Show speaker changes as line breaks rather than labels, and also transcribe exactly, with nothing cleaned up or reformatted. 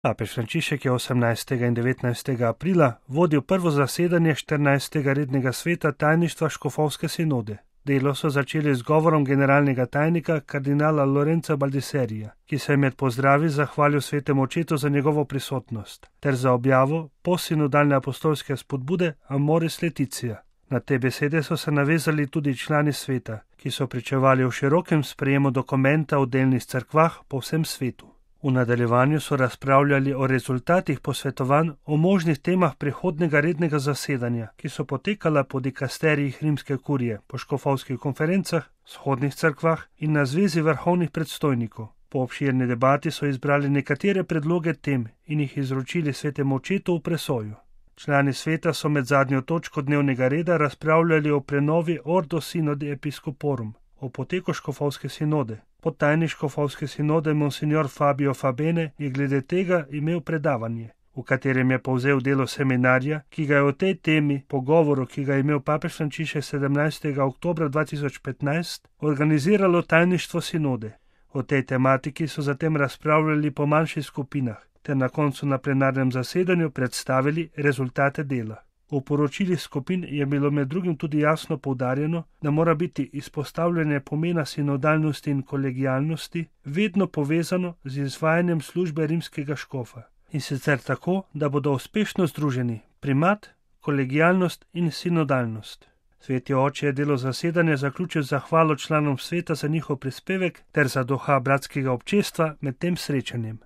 Papež Frančišek je osemnajstega in devetnajstega aprila vodil prvo zasedanje štirinajstega rednega sveta tajništva škofovske sinode. Delo so začeli z govorom generalnega tajnika kardinala Lorenza Baldiserija, ki se je med pozdravi zahvalil svetemu očetu za njegovo prisotnost, ter za objavo postsinodalne apostolske spodbude Amoris Laetitia. Na te besede so se navezali tudi člani sveta, ki so pričevali o širokem sprejemu dokumenta v delnih cerkvah po vsem svetu. V nadaljevanju so razpravljali o rezultatih posvetovanj o možnih temah prihodnega rednega zasedanja, ki so potekala po dikasterijih rimske kurije, po škofovskih konferencah, shodnih cerkvah in na zvezi vrhovnih predstojnikov. Po obširni debati so izbrali nekatere predloge tem in jih izročili svetemu očetu v presojo. Člani sveta so med zadnjo točko dnevnega reda razpravljali o prenovi Ordo Synodi Episcoporum, o poteku škofovske sinode. Podtajnik škofovske sinode monsignor Fabio Fabene je glede tega imel predavanje, v katerem je povzel delo seminarja, ki ga je o tej temi, pogovoru, ki ga je imel papež Frančišek sedemnajstega oktobra dva tisoč petnajst, organiziralo tajništvo sinode. O tej tematiki so zatem razpravljali po manjših skupinah, ter na koncu na plenarnem zasedanju predstavili rezultate dela. V poročilih skupin je bilo med drugim tudi jasno poudarjeno, da mora biti izpostavljanje pomena sinodalnosti in kolegialnosti vedno povezano z izvajanjem službe rimskega škofa. In sicer tako, da bodo uspešno združeni primat, kolegialnost in sinodalnost. Sveti oče je delo zasedanja zaključil z zahvalo članom sveta za njihov prispevek ter za duha bratskega občestva med tem srečanjem.